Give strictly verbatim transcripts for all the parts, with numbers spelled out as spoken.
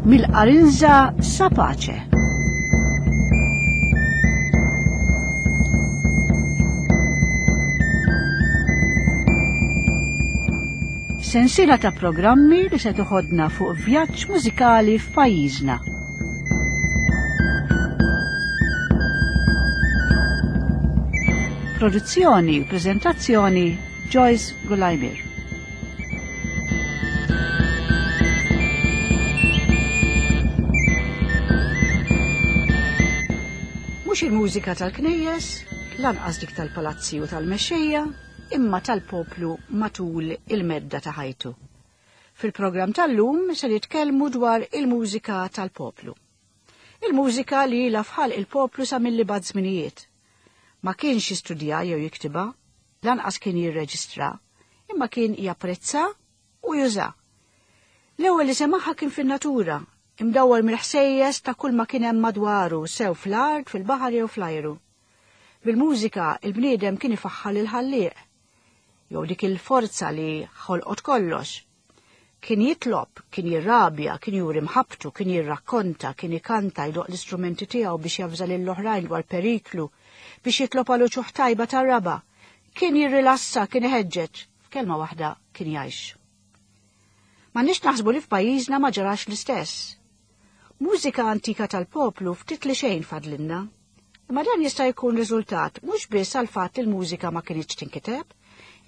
Mill-Qarinża sa Pace. Sensiela ta' programmi li se toħodna fuq vjaġġ mużikali f'pajjiżna. Produzzjoni u preżentazzjoni Joyce Gulajmir. Mhux il-mużika tal-knejjes, lanqas dik tal-palazzi u tal-mexxejja, imma tal-poplu matul il-medda ta' ħajtu. Fil-programm tal-lum se nitkellmu dwar il-mużika tal-poplu. Il-mużika li ilha f'ħalq il-poplu sa mill-ibgħad żminijiet. Ma kienx jistudja jew jiktibha, lanqas kien jirreġistra, imma kien japprezza u juża. L-ewwel li semaħha kien fin-natura, imdawwar mill-ħsejjes ta' kull ma kien hemm madwaru, sew fl-art, fil-baħar jew fl-ajru. Bil-mużika il-bniedem kien ifaħħal il-ħallieq, jew dik il-forza li ħolqot kollox. Kien jitlob, kien jirrabja, kien juri mħabtu, kien jirrakkonta, kien ikanta, jdoq l-istrumenti tiegħu biex javża lill-oħrajn dwar periklu, biex jitlob għal uċuħ tajba tar-raba. Kien jirrilassa, kien iħeġġeġ, f'kelma waħda kien jgħix. M'għandniex naħsbu li f'pajjiżna ma ġarax l-istess. Mużika antika tal-poplu ftit li xejn fadlinna. Imma dan jista' jkun riżultat mhux biss għal fatt li l-mużika ma kinitx tinkiteb,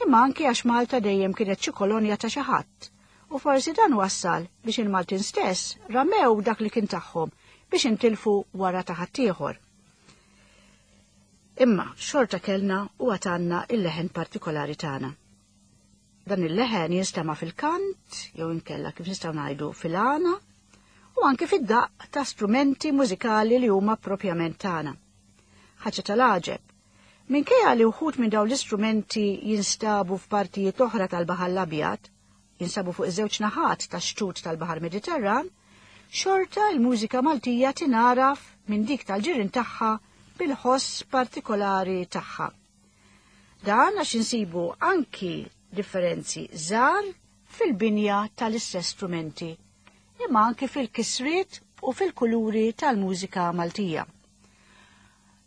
imma anki għax Malta dejjem kienet xi kolonja ta' xi ħadd. U forsi dan wassal biex il-Maltin stess ramew dak li kien tagħhom biex intilfu wara ta' ħaddieħor. Imma xorta kellna u għatanna il-leħen partikolari tagħna. Dan il-leħen jinstema' fil-kant, jew inkella kif nistgħu ngħidu fil-għana, u anke fid-daqq ta' strumenti mużikali li huma propjament tagħna. Ħaġa tal-għaġeb, minkejja li wħud minn dawn l-istrumenti jinstabu f'partijiet oħra tal-Baħar l-Abjad, jinsabu fuq iż-żewġ naħat tax-xtut tal-Baħar Mediterran, xorta l-mużika Maltija tingħaraf minn dik tal-ġirien tagħha bil-ħoss partikolari tagħha. Dan għax insibu anki differenzi żgħar fil-binja tal-istess strumenti, imma anki fil-kisriet u fil-kuluri tal-mużika Maltija.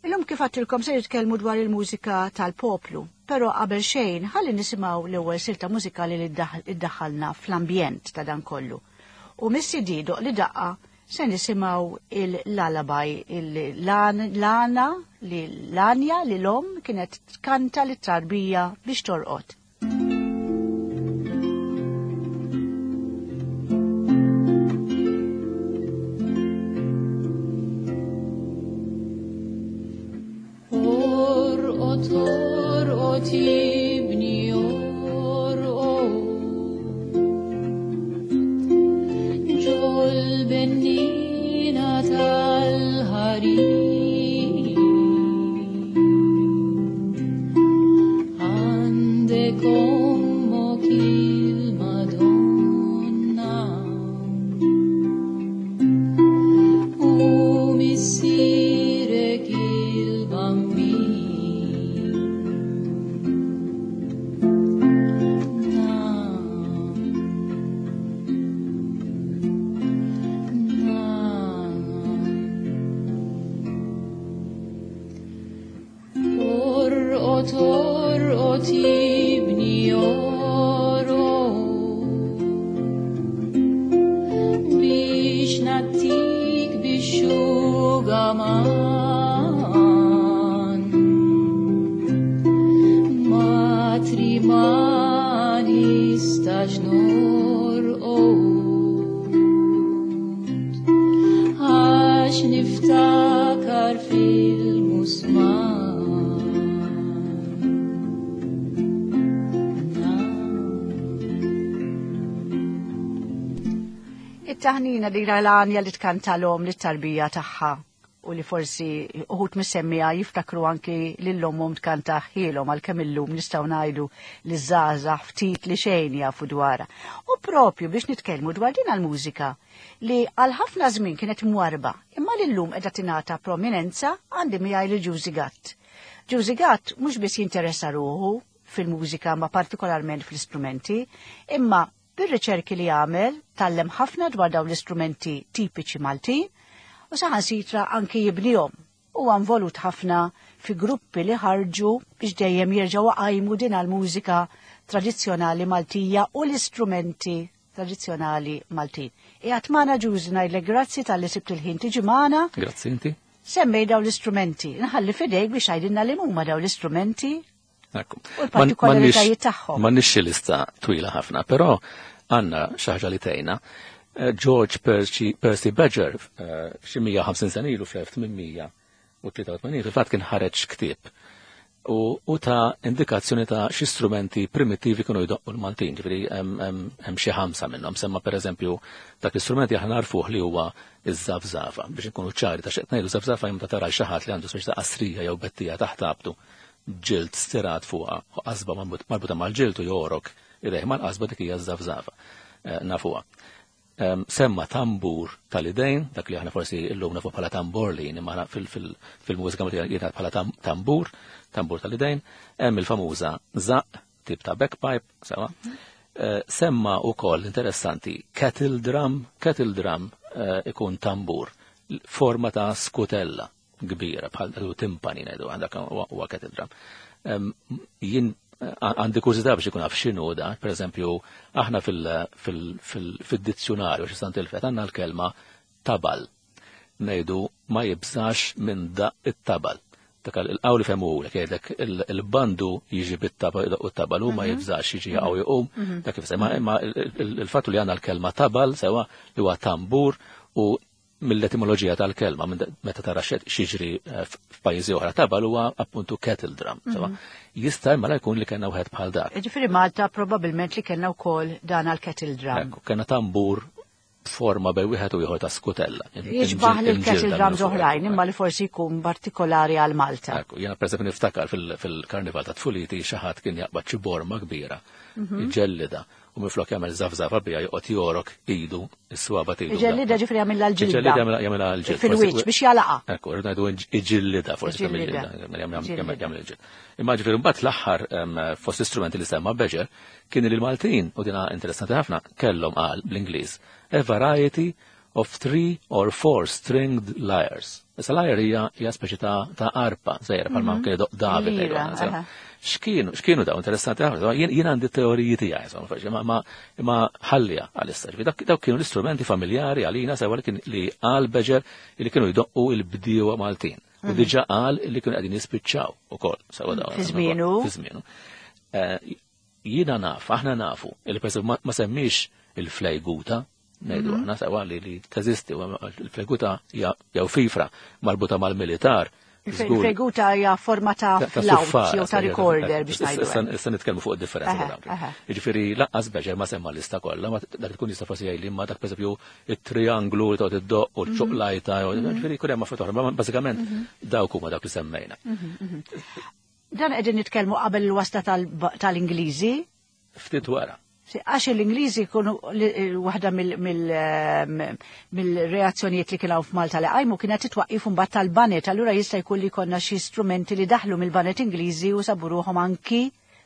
Illum kif għattilkom se nitkellmu dwar il-mużika tal-poplu, però qabel xejn ħalli nisimgħu l-ewwel silta mużikali li iddaħħalna fl-ambjent ta' dan kollu. U mis-C D Doq li daqqa se nisimgħu il-lullaby, il-lana li l-anja li l-om kienet tkanta lit-tarbija biex torqod. Orqod, orqod, ibni, orqod, ġol-benniena tal-ħarir, għandek ommok il-Madonna u missierek il-Bambin. Nam, nam. Orqod, orqod, ibni, orqod, biex nagħtik bix-xugaman. Matri ma nistax norqod, għax niftakar fil-musmar. It-taħnina li l-għanja li tkanta l-om lit-tarbija tagħha u li forsi uħut mis-semmija jiftakru anki lill-ommhom tkanta ħielhom, għalkemm illum nistgħu ngħidu li żgħażagħ ftit li xejn jafu dwarha. U propju biex nitkellmu dwar din għall-mużika li għal ħafna żmien kienet mwarba, imma li llum qiegħda tingħata prominenza, għandi miegħi lil Ġużi Gatt. Ġużi Gatt mhux biss jinteressa ruħu fil-mużika, ma partikolarment fl-istrumenti, imma Bir-riċerki li għamel tgħallem ħafna dwar dawn l-istrumenti tipiċi Maltin u saħansitra anki jibnihom. Huwa involut ħafna fi gruppi li ħarġu biex dejjem jerġgħu qajmu din għal-mużika tradizzjonali Maltija u l-istrumenti tradizzjonali Maltin. Qiegħed magħna Ġużi, ngħidlek grazzi talli sibt il-ħin tiġi magħna. Grazzi inti. Semmej dawn l-istrumenti. Nħalli fidejk biex għajdinna li huma dawn l-istrumenti Ekku. u l-partikolaritajiet tagħhom. M'għandniex lista twila ħafna, però għandna xi ħaġa li tgħinna. Eh, George Percy, Percy Badger, eh, xi mija u ħamsin sena ilu fl-elf tmien mija u tlieta u tmenin, fil-fatt kien ħareġ ktieb u, u ta' indikazzjoni ta' xi strumenti primittivi kienu jdoqqu l-Maltin, ġifieri hemm xi ħamsa minnhom. Semma pereżempju dak l-istrumenti aħna narfuh li huwa iż-żafżafa. Biex inkunu ċari ta' x'qed ngħidu, żafżafa jum ta' tara xi ħadd li għandu speċi ta' qasrija jew bettija taħt abtu, ġild stirat fuqha u qasba marbuta mal-ġild u jorok idejh mal-qasba, dik hija żafżafa. Eh, nafuha. Semma tambur tal-idejn, dak li aħna forsi illum nafu bħala tamborlin, imma fil-mużika jingħad bħala tambur, tambur tal-idejn, hemm il-famuża żaqq, tip ta' bagpipe, sewa. Eh, semma ukoll interessanti kettle drum, kettle drum eh, ikun tambur, forma ta' skutella kbira, bħal timpani ngħidu, għandak huwa kettle drum. Jien għandi kurżità biex ikun naf x'inhu da, per eżempju, aħna fil-dizzjonarju xi sant il-fet għandna l-kelma tabal. Ngħidu ma jibżax minn daqq it-tabal. Dak il-qawli femmu l jgħidlek il-bandu jiġi bit-tabal u t-tabal u ma mhm. jibżax jiġi jaqgħu jqum. Mhm. Dak kif ma imma il-fattu li għandna l-kelma tabal sewa li huwa tambur u mill-etimoloġija tal-kelma, meta tara x'jiġri eh, f'pajjiżi oħra, tabal huwa appuntu kettle drum. Mhm. Jista' imma jkun li kellna wieħed bħal dak. Ġifieri Malta probabbilment li kellna wkoll dan għal kettle drum. Kellna tambur forma bej wieħed u ieħor ta' skutella. Jixbaħ li l-kettle drums oħrajn, imma li forsi jkun partikolari għal Malta. Ekku, jiena pereżempju niftakar fil-karnival ta' tfuliti xi ħadd kien jaqbad xi borma kbira, mhm. iġellida, u minflok jagħmel żafżafa bija joqgħod jorok idu, is-swaba tidu. Iġellida ġifieri jagħmilha l-ġilda. Iġellida jagħmilha l-ġilda. Fil-wiċċ biex jalaqa. Ekku, rrid ngħidu iġillida forsi jagħmel il-ġild. Imma ġifieri mbagħad l-aħħar fost istrumenti li semma Badger kien li l-Maltin, u dina interessanti ħafna, kellhom, qal bl-Ingliż, a variety of three or four stringed lyres. Issa lyre hija hija speċi ta' ta' arpa, żgħira bħalma mhm. kien David. X'kienu x'kienu dawn, interessanti ħafna. Jien għandi teoriji tiegħi, insomma, ma ma ħallija għalissa. Dawk kienu l-istrumenti familjari għalina sewa li kien li qal Badger li kienu jdoqqu il-bdiewa Maltin. U mhm. diġà qal li kienu qegħdin jispiċċaw ukoll sewa dawn. Fi żmienu. Fi żmienu. Eh, jiena naf, aħna nafu, il ma semmix il-flejguta, ngħidu mhm. aħna sewa li li teżisti, il-fleguta jew fifra marbuta mal-militar. Il-fleguta hija forma ta' flawt jew ta' recorder biex ngħidu. Issa nitkellmu fuq id-differenza ta' dawk. Jiġifieri lanqas Badger ma semma lista kollha, ma dak tkun jista' forsi jgħidli ma dak pereżempju it-trianglu li toqgħod iddoq u l-ċuqlajta, mhm. ġifieri jkun hemm affarijiet oħra, bażikament mhm. dawk huma dak li semmejna. Dan qegħdin nitkellmu qabel il-wasla tal-Ingliżi? Ftit wara. Għax l-Ingliżi kunu waħda mill-reazzjonijiet li kienu f'Malta li qajmu kienet titwaqqif mbagħad tal-baned, allura jista' jkun li konna xi strumenti li daħlu mill-baned Ingliżi u sabu ruħhom anki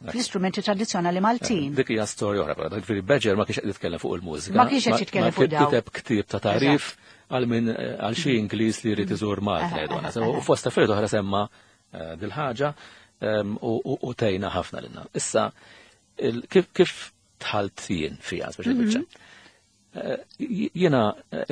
fl-istrumenti tradizzjonali Maltin. Dik hija storja oħra, però ġifieri Badger ma kienx qed jitkellem fuq il-mużika. Ma kienx qed jitkellem fuq dawn. Kiteb ktieb ta' tarif għal min għal xi Ingliż li jrid iżur Malta ngħidu aħna. U fost affarijiet oħra semma eh, dil-ħaġa u tgħinna ħafna lilna. Issa kif kif dħalt jien fija, speċi biċċa. Eh, jiena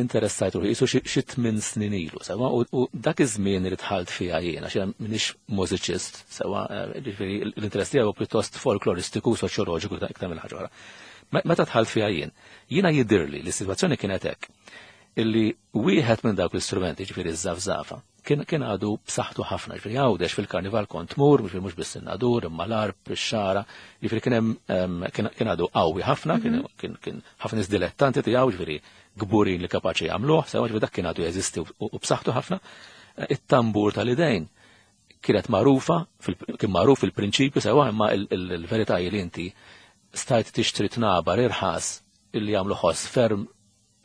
interessajt ruħi, jisu xi tmien snin ilu, sewa, u dak iż-żmien li dħalt fija jiena, xi m'iniex mużiċist, sewa, eh, ġifieri l-interess tiegħu pjuttost folkloristiku, soċjoloġiku iktar mill ħaġa oħra. Meta dħalt fija jien, jiena jidirli li s-sitwazzjoni kienet hekk, illi wieħed minn dawk l-istrumenti, ġifieri ż-żafżafa, kien kien għadu b'saħħtu ħafna, ġifieri Għawdex fil-karnival kont tmur, ġifieri mhux biss in-Nadur, imma l-Għarb, ix-Xagħra, ġifieri kien hemm kien għadu qawwi ħafna, kien mhm. kien kien ħafna nies dilettanti tiegħu, ġifieri kburin li kapaċi jagħmluh, sewa, ġifieri dak kien għadu jeżisti u b'saħħtu ħafna. It-tambur tal-idejn kienet magħrufa, kien magħruf fil-prinċipju sewa, imma il-verità li inti stajt tixtri tnabar irħas illi jagħmlu ħoss ferm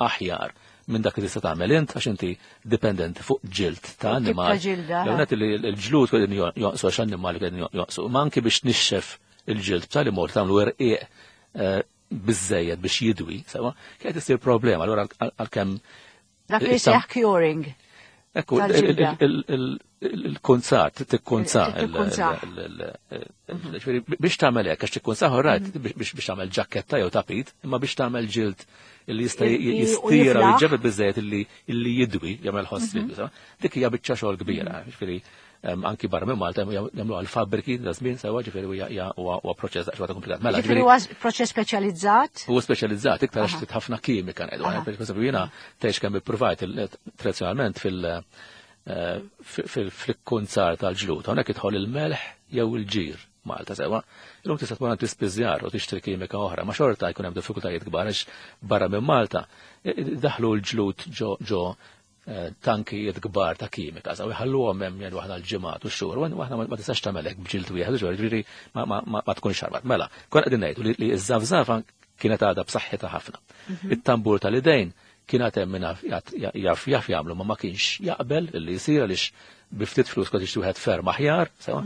aħjar minn dak li tista' tagħmel int għax inti dipendenti fuq ġild ta' annimal. L-għonet li l-ġlud qegħdin jonqsu għax annimali qegħdin jonqsu, ma anki biex nixxef il-ġild b'tali mod tagħmlu irqiq eh, biżejjed biex jidwi, sewa, kienet issir problema, allura għalkemm. Dak li seħ curing. Ekku, il-kunzat, tikkunza. Biex tagħmel hekk, għax tikkunza rajt, biex tagħmel ġaketta jew tapit, imma biex tagħmel ġild illi jista' jistira u jġebed biżejjed illi jidwi, jagħmel ħoss jidwi, dik hija biċċa xogħol kbira, ġifieri anki barra minn Malta jagħmlu għal fabbriki da żmien sewa, ġifieri huwa proċess daqsxejn komplikat. Mela, ġifieri huwa proċess speċjalizzat? Huwa speċjalizzat iktar għax ħafna kimika ngħidu. Per jiena tgħix kemm ippruvajt tradizzjonalment fil- fil-kunzar tal-ġlud. Hawnhekk idħol il-melħ jew il-ġir Malta sewa. Illum tista' tmur għand tispiżjar u tixtri kimika oħra, ma xorta jkun hemm diffikultajiet kbar għax barra minn Malta daħlu l-ġlud ġo ġo tankijiet kbar ta' kimika, saw jħalluhom hemm jgħidu aħna l-ġimgħat u x-xhur, u aħna ma tistax tagħmel hekk b'ġild wieħed, ġifieri ma tkunx xarbat. Mela, kon qegħdin ngħidu li ż-żafżafa kienet għadha b'saħħitha ħafna. It-tambur tal-idejn kien għad hemm min jaf jaf jagħmlu, ma ma kienx jaqbel li jsir għaliex bi ftit flus kont tixtri wieħed ferm aħjar, sewa.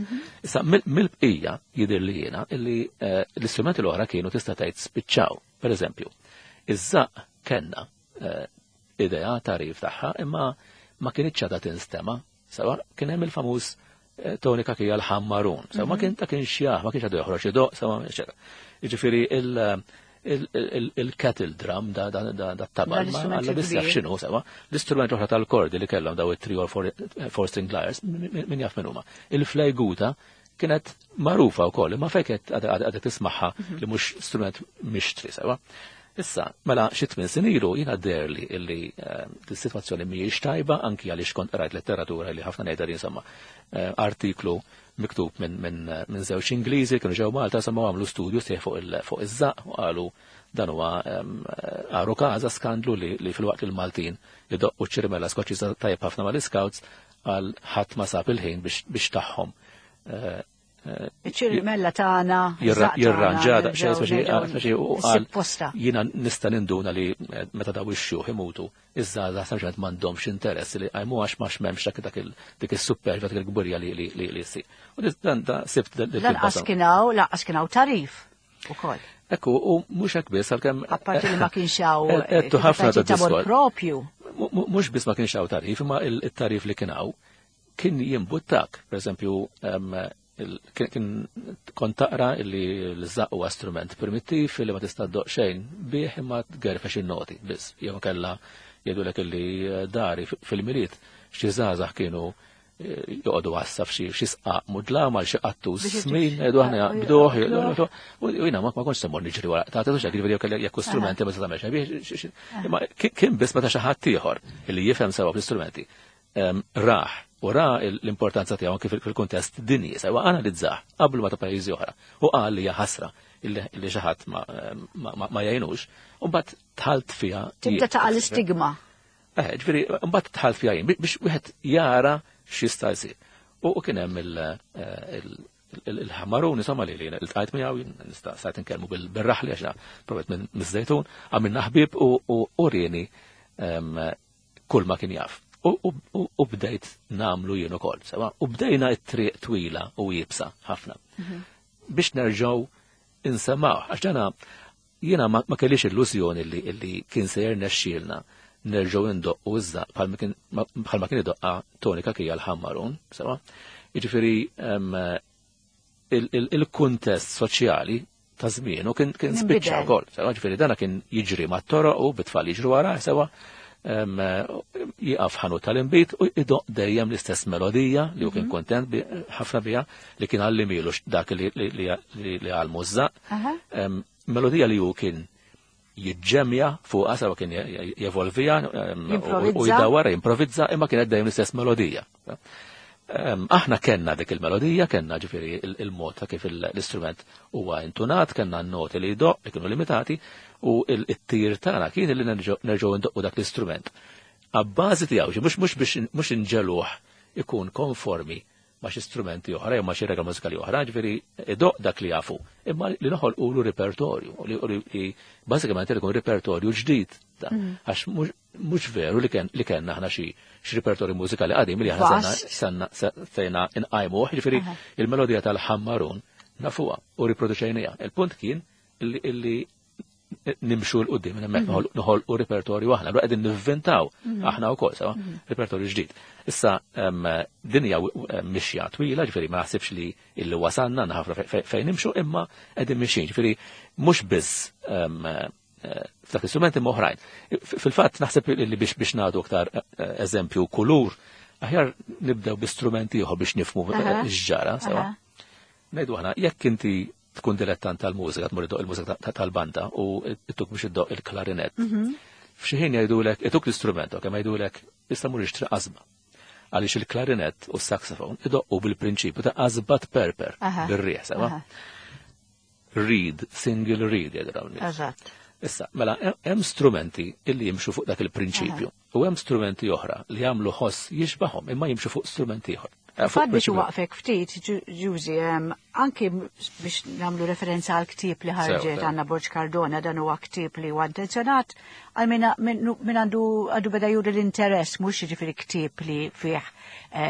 Issa mill-bqija jidher li jiena illi l-istrumenti l-oħra kienu tista' tgħid spiċċaw. Pereżempju, iż-żaqq kellna idea tarif tagħha imma ma kienitx għadha tinstema, sewa, kien hemm il-famuż Tony Cachia l-ħammarun, sewa, ma kien ta' kienx jaf, ma kienx għadu joħroġ idoq, sewa, eċetera. Jiġifieri il-kettle drum da tabal, għalla biss jaf x'inhu, sewa. L-istrument oħra tal-kordi li kellhom daw it-three or four string lyres, min jaf min huma. Il-flejguta kienet magħrufa wkoll, imma fejn kienet għadha tismagħha li mhux strument mixtri, sewa. Issa, mela xi tmien snin ilu jiena deherli illi s-sitwazzjoni mhijiex tajba, anki għaliex kont qrajt letteratura li ħafna ngħidha li insomma artiklu miktub minn żewġ Ingliżi kienu ġew Malta, insomma għamlu studju sieħ fuq iż-żaqq u qalu dan huwa għaru każa skandlu li fil-waqt li l-Maltin idoqqu ċ-ċirimella Skoċċiża tajjeb ħafna mal-Scouts għal ħadd ma sab il-ħin biex tagħhom Iċ-ċirimella tagħna jirranġa daqsxejn speċi u qal jiena nista' ninduna li meta daw ix-xjuħ imutu iż-żgħażagħ sempliċement m'għandhomx interess li qajmu għax ma m'hemmx dak dik is-supervja dik il-kburija li li ssir. U dan da sibt Lanqas kien hawn, lanqas kien hawn tarif ukoll. Ekku, u mhux hekk biss għalkemm apparti li ma kienx hawn ħafna ta' diskor. Propju. Mhux biss ma kienx hawn tarif, imma it-tarif li kien hawn kien jimbuttak, pereżempju kien kont taqra illi l-żaqq huwa strument primittiv li ma tista' ddoq xejn bih imma tgerfex in-noti biss. Jew kellha jgħidulek illi dari fil-Milied xi żgħażagħ kienu joqogħdu għassa f'xi xi sqaq mudlam għal xi qattus smin, jgħidu aħna jaqbduh, u jiena ma kontx se mmur niġri wara ta' tagħtux hekk, jiġifieri jekk strumenti ma tagħmelx bih. Imma kien biss meta xi ħadd ieħor illi jifhem sewa fl-istrumenti raħ u ra l-importanza tiegħu anke fil-kuntest dinji, sewa analizzah qablu ma ta' pajjiżi oħra u qal li hija ħasra illi xi ħadd ma jgħinux, u mbagħad tħalt fiha. Tibda taqa' l-istigma. Eh, ġifieri mbagħad tħalt fiha jien biex wieħed jara x'jista' jsir. U kien hemm il-ħamarun insomma li ltqajt miegħu, nista' sajt inkellmu bil-raħli għax provajt minn miż-Żejtun, għamilna ħbieb u urieni kull ma kien jaf. U bdejt namlu jien ukoll, sewa, u bdejna t-triq twila u jibsa ħafna. Biex nerġgħu insemgħu, għax dana jiena ma kellix illużjoni li kien se jirnexxielna nerġgħu indoqqu iż-żaqq bħalma kien idoqqa Tony Cachia l-ħammarun, sewa. Jiġifieri il-kuntest soċjali ta' żmienu kien spiċċa wkoll, sewa, ġifieri dana kien jiġri mat-toroq u bit-tfal jiġru wara, sewa. Jiqaf ħanut tal-inbid u idoq dejjem l-istess melodija li hu kien kontent ħafna biha li kien għallimilu dak li għallmu ż-żaqq. Melodija li hu kien jiġġemja fuqha sewa kien jevolvija u jdawwar jimprovizza imma kienet dejjem l-istess melodija. Aħna kellna dik il-melodija, kellna ġifieri il-mod ta' kif l-istrument huwa intunat, kellna n-noti li jdoq li kienu limitati u it-tir tagħna kien li nerġgħu ndoqqu dak l-istrument. Abbażi tiegħu, mhux biex mhux inġeluh ikun konformi ma' xi strumenti oħra jew ma' xi regola mużikali oħra, ġifieri idoq dak li jafu, imma li noħolqulu repertorju, li bażikament ikun repertorju ġdid. Għax mhux veru li kellna aħna xi repertorju mużikali qadim li aħna sanna sejna nqajmuh, ġifieri il-melodija tal-ħammarun nafuha u riproduċejniha. Il-punt kien illi nimxu 'l quddiem minn hemmhekk noħolqu repertorju aħna, allura qegħdin nivvintaw aħna wkoll sewa repertorju ġdid. Issa din hija mixja twila, ġifieri ma naħsibx li illi wasalna ħafna fejn nimxu, imma qegħdin mixjin, ġifieri mhux biss f'dak l-istrumenti oħrajn. Fil-fatt naħseb li biex biex nagħtu aktar eżempju kulur, aħjar nibdew bi strumenti ieħor biex nifhmu x'ġara sewa. Ngħidu aħna jekk inti tkun dilettant tal-mużika, tmur iddoq il-mużika tal-banda u ittuk biex iddoq il-klarinett. F'xi ħin jgħidulek, ituk l-istrument, kemm jgħidulek issa mur ixtri qasba. Għaliex il-klarinett u s-saxofon idoqqu bil-prinċipju ta' qasba tperper bir-riħ, sewa. Reed, single reed jgħidu dawn. Eżatt. Issa, mela, hemm strumenti illi jimxu fuq dak il-prinċipju u hemm strumenti oħra li jagħmlu ħoss jixbahom imma jimxu fuq strumenti ieħor. Fatt biex waqfek ftit, Ġużi, anki biex nagħmlu referenza għal ktieb li ħarġet Anna Borg Cardona, dan huwa ktieb li huwa intenzjonat għal min għandu għadu beda juri l-interess, mhux jiġifieri ktieb li fih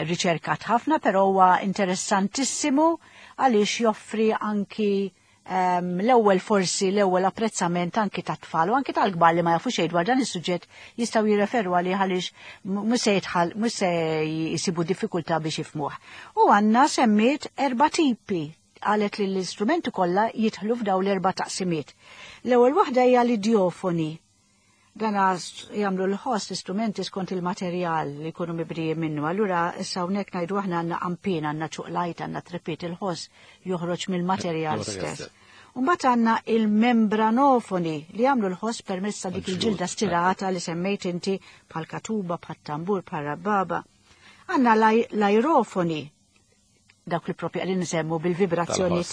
riċerkat ħafna, però huwa interessantissimu għaliex joffri anki l-ewwel forsi l-ewwel apprezzament anki tat-tfal u anki tal-kbar li ma jafu xejn dwar dan is-suġġett jistgħu jirreferu għalih għaliex mhux se jidħal mhux se jsibu diffikultà biex jifhmuh. U għandna semmiet erba' tipi, qalet li l-istrumenti kollha jidħlu f'dawn l-erba' taqsimiet. L-ewwel waħda hija l-idjofoni. Dan jagħmlu l-ħoss l-istrumenti skont il-materjal li jkunu mibrijin minnu. Allura issa hawnhekk ngħidu aħna għandna qampin, għandna ċuqlajt, għandna trepit, il-ħoss joħroġ mill-materjal stess. Mbagħad għandna il-membranofoni li jagħmlu l-ħoss permezz ta' dik il-ġilda stirata li semmejt inti bħal katuba, bħal tambur, bħal rabbaba. Għandna l-aerofoni, dawk li propju qegħdin nsemmu bil-vibrazzjoni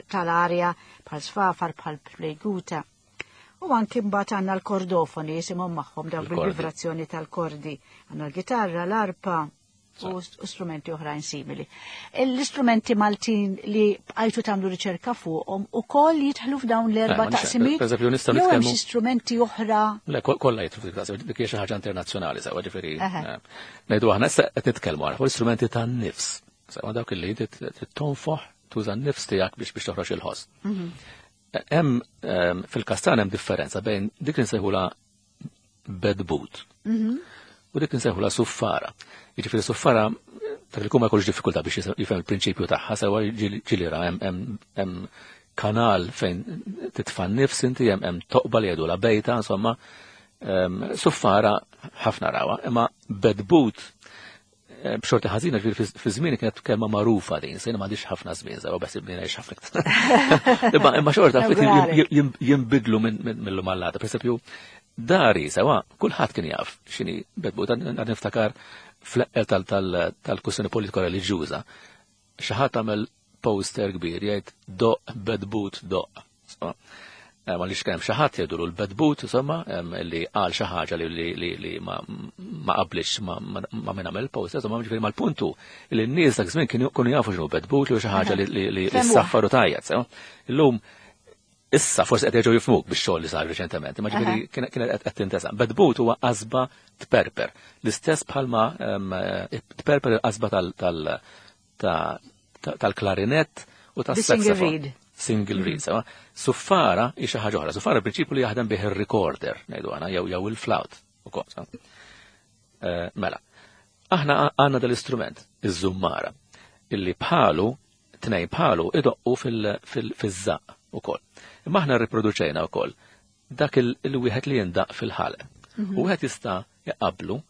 tal-arja bħal sfafar, bħal pleguta. U anki mbagħad għandna l-kordofoni jisimhom magħhom dawk bil-vibrazzjoni tal-kordi. Għandna l-gitarra, l-arpa u strumenti oħrajn simili. L-istrumenti Maltin li bqajtu tagħmlu riċerka fuqhom ukoll jidħlu f'dawn l-erba' taqsimiet. Pereżempju nistgħu Jew hemm nitkellmu xi strumenti oħra. Le, kollha jidħlu f'dik taqsimiet, dik hija xi ħaġa internazzjonali sewa, ġifieri. Ngħidu aħna issa qed nitkellmu fuq l-istrumenti tan-nifs. Sewa dawk li tonfoħ tuża n-nifs tiegħek biex biex toħroġ il-ħoss. Hemm fil-kastan hemm differenza bejn dik li nsejħulha bedbut u dik li nsejħulha suffara. Jiġifieri suffara dak li jkun ma jkollux diffikultà biex jifhem il-prinċipju tagħha, sewa ġieli ra hemm kanal fejn titfa' n-nifs inti, hemm toqba li jgħidulha bejta, insomma, suffara ħafna rawha, imma bedbut b'xorti ħażina ġifieri fi żmien kienet kelma magħrufa din, sejna m'għandix ħafna żmien, sewa bes ibni ngħix ħafna iktar. Imma imma xorta ftit jinbidlu mill-lum għall-għada. Pereżempju, dari sewa kulħadd kien jaf x'inhi bedbut, għad niftakar fl-eqqel tal-kwistjoni politika reliġjuża. Xi ħadd għamel poster kbir jgħid doq bedbut doq. Ma li xkemm xi ħadd jgħidulu l-bedbut, insomma, li qal xi ħaġa li li ma qablix ma min għamel poster, insomma, ġifieri mal-puntu li n-nies dak żmien kienu jafu x'inhu bedbut li xi ħaġa li ssaffar u tajjat, sewa. Illum issa forsi qed jerġgħu jifhmuk bix-xogħol li sar riċentement, imma ġifieri kienet qed tintesa. Bedbut huwa qasba tperper, l-istess bħalma tperper il-qasba tal-klarinett u tas-saxofon. Single reed, sewa. Suffara hi xi ħaġa oħra. Suffara prinċipju li jaħdem bih ir-recorder, ngħidu aħna, jew jew il-flawt ukoll. Mela, aħna għandna dal-istrument, iż-żummara, illi bħalu, tnejn bħalu idoqqu fil-żaqq ukoll. Imma aħna rriproduċejna wkoll dak il-wieħed li jindaq fil-ħalq. U wieħed jista' jaqablu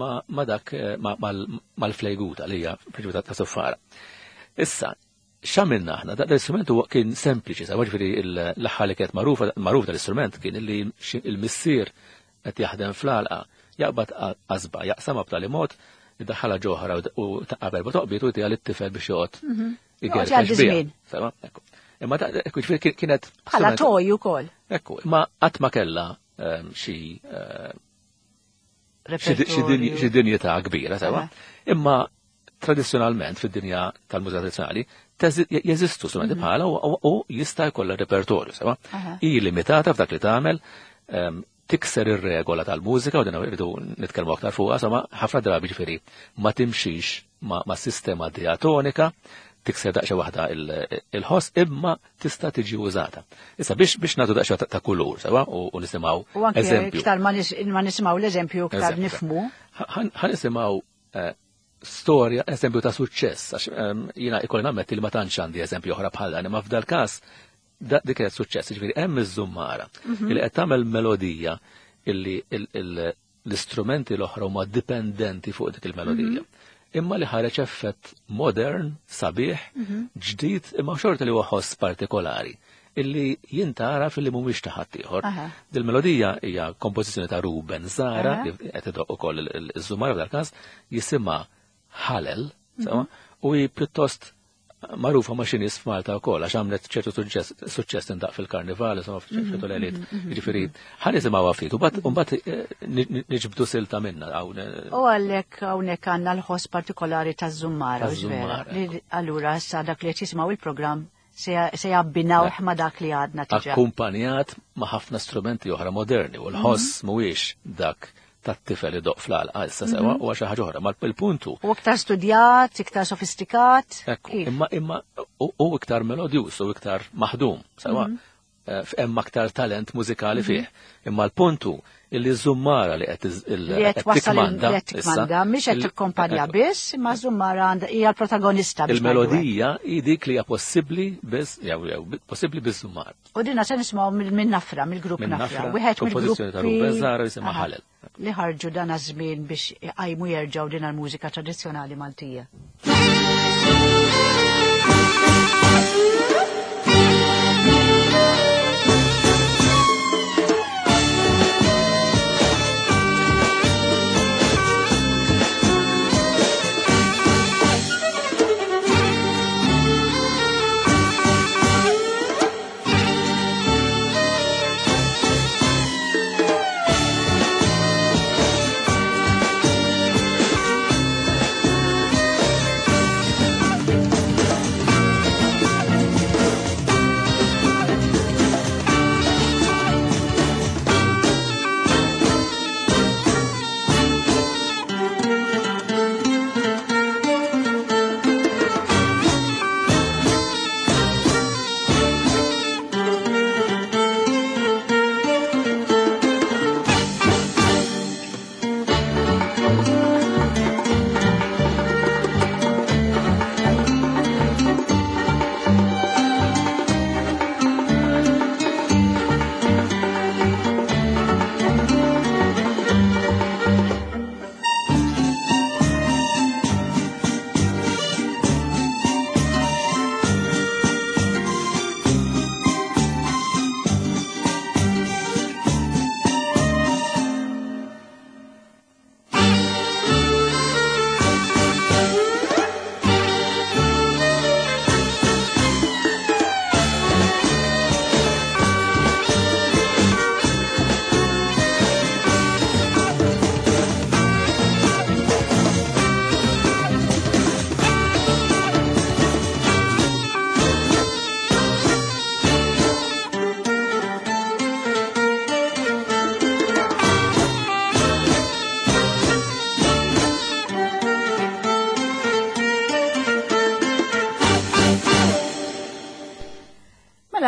ma dak mal-flejguta li hija prinċipju ta' suffara. Issa, x'għamilna aħna? Dak l-istrument huwa kien sempliċi, sewa ġifieri l-aħħar li kienet magħrufa magħruf dal-istrument kien illi il-missier qed jaħdem fl-għalqa, jaqbad qasba, jaqsamha b'tali mod, iddaħħalha ġoħra u taqabel toqbiet u jtiha lit-tifel biex joqgħod igerfex biha. Ekku. Imma ekku ġifieri kienet bħala toj ukoll. Ekku, imma qatt ma kellha xi xi dinjità kbira, sewa. Imma tradizzjonalment fid-dinja tal-mużika tradizzjonali jeżistu strumenti bħala u jista' jkollha repertorju, sewa. Hi limitata f'dak li tagħmel, tikser ir-regola tal-mużika u din irridu nitkellmu aktar fuqha, insomma, ħafna drabi ġifieri ma timxix ma' sistema diatonika, Tikser daqsxejn waħda il-ħoss imma tista' tiġi użata. Issa biex biex nagħtu daqsxejn ta' kulur, sewa, u nisimgħu eżempju. Iktar ma nisimgħu l-eżempju iktar nifhmu. Ħa nisimgħu storja, eżempju ta' suċċess, għax jiena ikolli nammetti li ma tantx għandi eżempju oħra bħal dan, imma f'dal każ dik kienet suċċess, jiġifieri hemm iż-żummara li qed tagħmel melodija illi l-istrumenti l-oħra huma dipendenti fuq dik il-melodija. Imma li ħareġ effett modern, sabiħ, ġdid, imma xorta li huwa ħoss partikolari illi jintara fil-li mhumiex ta' ħaddieħor. Dil-melodija hija kompożizzjoni ta' Ruben Zara, li qed idoq ukoll iż-żummara f'dal każ, jisimha Ħalel, sewa, u hi pjuttost magħrufa ma' xi nies f'Malta wkoll għax għamlet ċertu suċċess tindaq fil-karnival, insomma f'ċertu lejliet. Jiġifieri ħa nisimgħuha ftit u mbagħad niġbdu silta minnha hawn. U għalhekk hawnhekk għandna l-ħoss partikolari taż-żummara, vera. Allura issa dak li qed jisimgħu il-programm se jabbinawh ma' dak li għadna diġà. Akkumpanjat ma' ħafna strumenti oħra moderni u l-ħoss mhuwiex dak tat-tifel idoq fl-għalqa issa sewa u xi ħaġa oħra, ma il-puntu. U iktar studjat, iktar sofistikat. Ekku, imma imma u iktar melodjuż u iktar maħdum, sewa. Hemm aktar talent mużikali fih. Imma l-puntu illi żummara li qed tikmanda, issa mhix qed tikkompanja biss, imma żummara għandha hija l-protagonista. Il-melodija hi dik li hija possibbli biss, jew possibbli biż-żummara. U dinna se nisimgħu minn Nafra, mill-grupp Nafra. Wieħed mill-kompożizzjoni ta' Ruben Zara jisimha Ħalel. Li ħarġu dan għaż-żmien biex iqajmu jerġgħu din il-mużika tradizzjonali Maltija.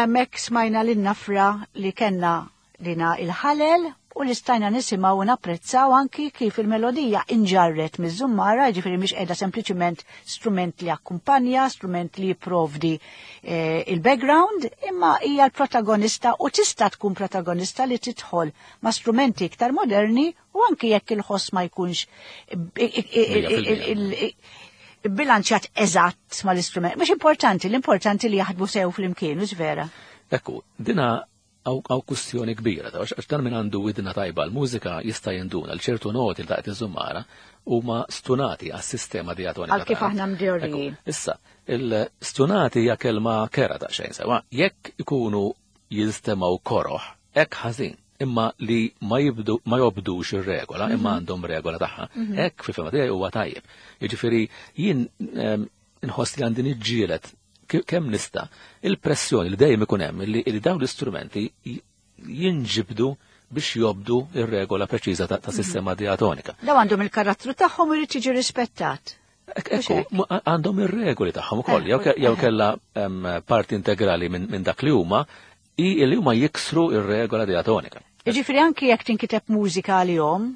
Hemmhekk smajna lin-Nafra li kellna lina il-ħalel u li stajna nisimgħu u napprezzaw anki kif il-melodija inġarret miż-żummara, jiġifieri mhix qiegħda sempliċiment strument li akkumpanja, strument li jipprovdi il-background, imma hija l-protagonista u tista' tkun protagonista li tidħol ma' strumenti iktar moderni u anki jekk il-ħoss ma jkunx bilanċjat eżatt mal-istrument. Mhux importanti, l-importanti li jaħdmu sew flimkien, mhux vera? Ekku, dina għaw kustjoni kbira, għax dan min għandu widna tajba l-mużika jista' jinduna l ċertu noti li taqt iż-żummara huma stunati għas-sistema diatonika. Għal kif aħna mdorrijin. Issa, il-stunati hija kelma kera daqsxejn sewa, jekk ikunu jinstemaw koroħ, hekk ħażin, imma li ma jibdu ma jobdux ir-regola, imma għandhom regola tagħha, hekk fil-fehma tiegħi huwa tajjeb. Jiġifieri jien nħoss li għandi niġġieled kemm nista' il-pressjoni li dejjem ikun hemm li dawn l-istrumenti jinġibdu biex jobdu ir-regola preċiża ta' sistema diatonika. Daw għandhom il-karattru tagħhom irid jiġi rispettat. Ekku, għandhom ir-regoli tagħhom ukoll, jew kellha parti integrali minn dak li huma, i li huma jiksru ir-regola diatonika. Jiġifieri anki jekk tinkiteb mużika għalihom,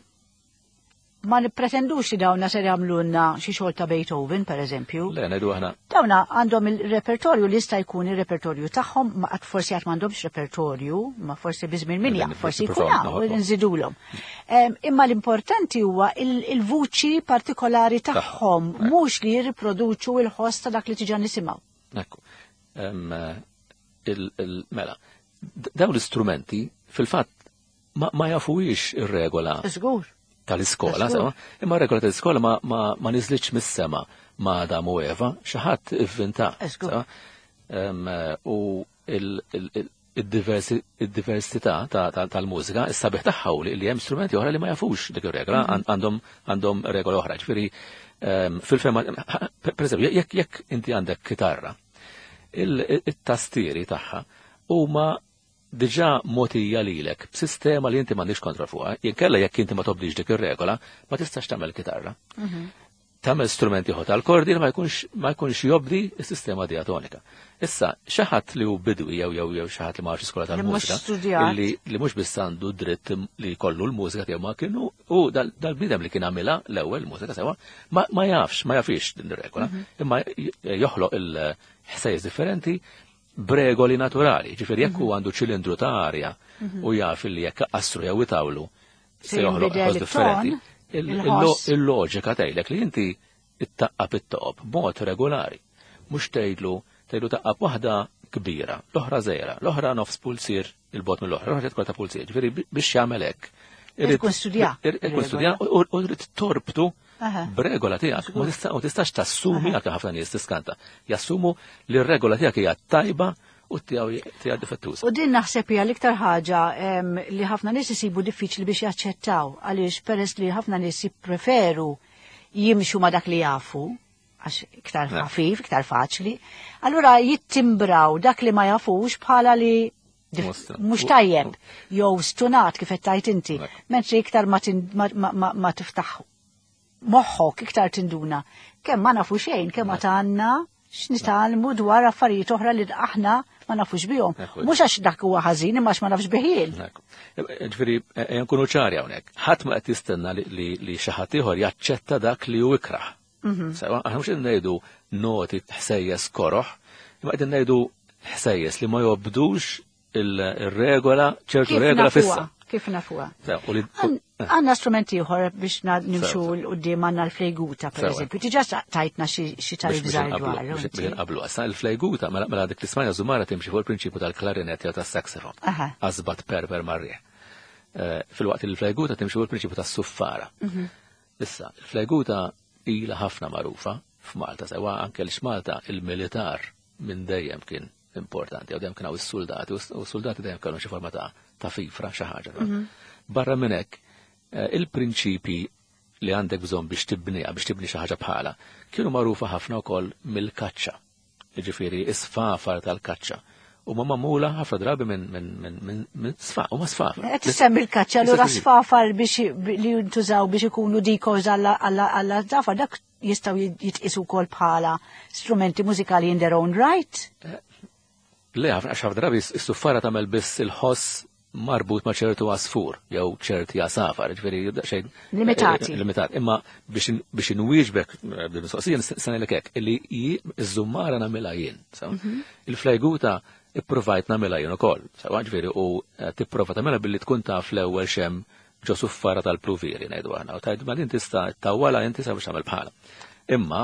ma nippretendux li dawna ser jagħmlulna xi xogħol ta' Beethoven, per eżempju. Le, ngħidu aħna. Dawna għandhom il-repertorju li jista' jkun ir-repertorju tagħhom, ma qatt forsi qatt m'għandhomx repertorju, ma forsi biżmien min jaf, forsi jkun hawn nżidulhom. Imma l-importanti huwa il-vuċi partikolari tagħhom, mhux li jirriproduċu l-ħoss ta' dak li tiġa nisimgħu. Ekku. Mela, dawn l-istrumenti fil-fatt ma jafuhiex ir-regola. Żgur. Tal-iskola, sewa, imma regola tal-iskola ma, ma, ma niżlitx mis-sema ma' Adam u Eva, xi ħadd ivvinta. U id-diversità tal-mużika, is-sabiħ tagħha li hemm strumenti oħra li ma jafux dik ir-regola, għandhom għandhom regola oħra. Ġifieri fil-fema, pereżempju, jekk jekk inti għandek kitarra, it-tastieri tagħha huma diġà mogħtija lilek b'sistema li inti m'għandix kontroll fuqha, jinkella jekk inti ma tobdix dik ir-regola, ma tistax tagħmel kitarra. Tagħmel strumenti ieħor tal-kordi li ma jkunx ma jkunx jobdi s-sistema diatonika. Issa xi ħadd li hu bidwi jew jew jew xi ħadd li ma jafx iskola tal-mużika li li mhux biss għandu dritt li jkollu l-mużika tiegħu ma kienu u dal-bniedem li kien għamilha l-ewwel mużika sewa ma ma jafx ma jafix din ir-regola, imma joħloq il-ħsejjes differenti b'regoli naturali. Ġifieri jekk hu għandu ċilindru ta' arja u jaf li jekk qasru jew itawlu se joħloq ħoss differenti. Il-loġika tgħidlek li inti ittaqqab it-toqob b'mod regolari. Mhux tgħidlu tgħidlu taqqab waħda kbira, l-oħra żgħira, l-oħra nofs pulsier il-bot mill-oħra, l-oħra tkun ta' pulsier. Ġifieri biex jagħmel hekk. Irid studja. Irid studja u rrid torbtu b'regola tiegħek. Ma tistax tassumi għal ħafna nies tiskanta. Jassumu li r-regola tiegħek hija tajba u tiegħu tiegħu difettuża. U din naħseb hija l-iktar ħaġa li ħafna nies isibu diffiċli biex jaċċettaw, għaliex peress li ħafna nies jippreferu jimxu ma dak li jafu, għax iktar ħafif, iktar faċli, allura jittimbraw dak li ma jafux bħala li mhux tajjeb jew stunat kif qed tgħid inti, mentri iktar ma tiftaħ moħħok iktar tinduna kemm ma nafu xejn, kemm ma tgħandna x'nitgħallmu dwar affarijiet oħra li aħna ma nafux bihom. Mhux għax dak huwa ħażin imma għax ma nafx bih jien. Ġifieri nkunu ċari hawnhekk. Ħadd ma qed jistenna li xi ħadd ieħor jaċċetta dak li hu ikrah. Sewa, aħna mhux qed ngħidu noti ħsejjes koroħ, imma qed ngħidu ħsejjes li ma jobdux il-regola, ċertu regola fissa. Kif nafuha? Għandna strumenti ieħor biex nimxu l quddiem, għandna l-flejguta pereżempju. Diġà tajtna xi tarif żgħir dwar. Biex inqablu. Issa l-flejguta mela dik l-ismajna żumara timxi fuq il-prinċipju tal-klarinet jew tas-saxofon. Qasbat perper mar-riħ. Filwaqt li l-flejguta timxi fuq il-prinċipju tas-suffara. Issa, il-flejguta ilha ħafna magħrufa f'Malta, sewa anke l Malta il-militar minn dejjem kien importanti, jew dejjem kien hawn is-soldati, u s-soldati dejjem kellhom xi forma ta' ta' fifra xi ħaġa. Barra minn hekk, il-prinċipi li għandek bżonn biex tibniha, biex tibni xi ħaġa bħala, kienu magħrufa ħafna wkoll mill-kaċċa. Jiġifieri is-sfafar tal-kaċċa. U ma magħmula ħafna drabi minn minn minn minn sfa, huma sfafar. Qed issemmi l-kaċċa, allura sfafar biex li jintużaw biex ikunu decoys għall żafar, dak jistgħu jitqisu wkoll bħala strumenti mużikali in their own right? Le, għax ħafna drabi s-suffara tagħmel biss il-ħoss marbut ma' ċertu għasfur jew ċerti għasafar, ġifieri xejn limitati. Limitat. Imma biex inwieġbek bil-mistoqsija se ngħidlek hekk illi iż-żummara nagħmilha jien. Il-flejguta ippruvajt nagħmilha jien ukoll, sewa ġifieri u tipprova tagħmilha billi tkun taf l-ewwel xemm ġo suffara tal-pluviri ngħidu aħna, u tgħid ma din tista' tawwala inti sa biex tagħmel bħala. Imma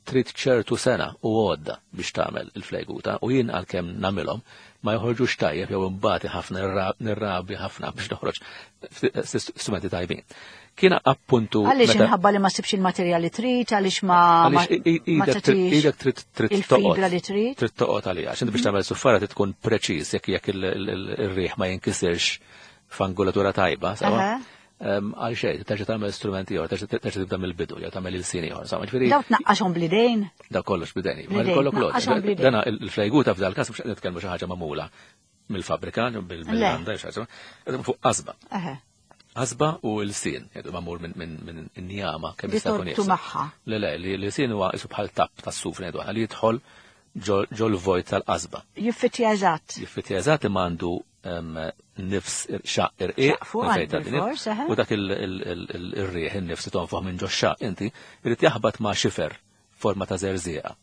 trid ċertu sena u għodda biex tagħmel il-flejguta, u jien għalkemm nagħmilhom ma joħorġux tajjeb jew imbagħad ħafna nirrabi ħafna biex noħroġ strumenti tajbin. Kien appuntu għaliex inħabba li ma sibx il-materjal li trid, għaliex ma idek trid trid il-fibra li trid. Trid toqgħod għaliha, għax inti biex tagħmel suffara trid tkun preċiż jekk jekk ir-riħ ma jinkisirx f'angolatura tajba, sewa. Għal xejn, terġa' tagħmel strumenti ieħor, terġa' tibda mill-bidu, jew tagħmel il-sin ieħor. Daw tnaqqaxhom bl-idejn? Daw kollox bl-idejn. Ma jkollok lodda. Dana il-flejguta f'dal każ mhux qed nitkellmu xi ħaġa magħmula mill-fabbrika, mill-għanda, xi ħaġa, fuq qasba. Qasba u l-sin, jgħidu magħmul minn njama kemm Li jista' jkun torbtu iebsa. magħha. Le le, li l-sin huwa isu bħal tapp tas-suf ngħidu aħna li jidħol ġol vojt tal-qasba. Jiffittja eżatt. Jiffittja eżatt imma għandu em, nifs xaq irqiq. Xaq fuq minn fejn għandu tgħaddi nifs, fors, eħe. U dak il-riħ, in-nifs li tonfoħ minn ġo xaq, inti irid jaħbat ma' xifer forma ta' żerżieqa